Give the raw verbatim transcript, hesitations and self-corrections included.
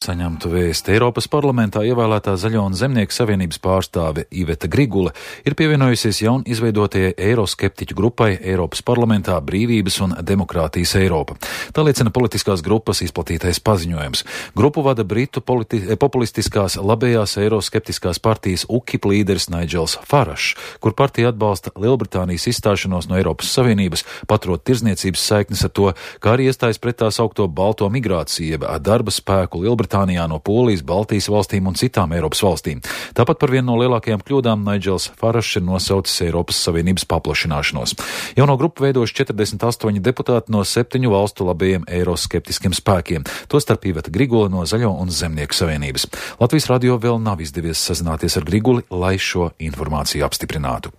Saņemtu vēsti Eiropas parlamentā ievēlētā Zaļo un Zemnieku savienības pārstāve Iveta Grigule ir pievienojusies jaun izveidotajai eiroskeptiķu grupai Eiropas parlamentā Brīvības un demokrātijas Eiropa. Tā liecina politiskās grupas izplatītais paziņojums. Grupu vada Britu politi- populistiskās labējās eiroskeptiskās partijas UKIP līderis Nigels Farašs, kur partija atbalsta Lielbritānijas izstāšanos no Eiropas Savienības, paturot tirzniecības saiknes ar to, kā arī iestājas pret tā saukto balto migrāciju, jeb darba spēku Lielbritānijas no Polijas, Baltijas valstīm un citām Eiropas valstīm. Tāpat par vienu no lielākajām kļūdām Nigels Farašs ir nosaucis Eiropas Savienības paplašināšanos. Jauno grupu veidojuši četrdesmit astoņi deputāti no septiņu valstu labajiem eiroskeptiskiem spēkiem, tostarp Iveta Grigule no Zaļo un Zemnieku savienības. Latvijas radio vēl nav izdevies sazināties ar Griguli, lai šo informāciju apstiprinātu.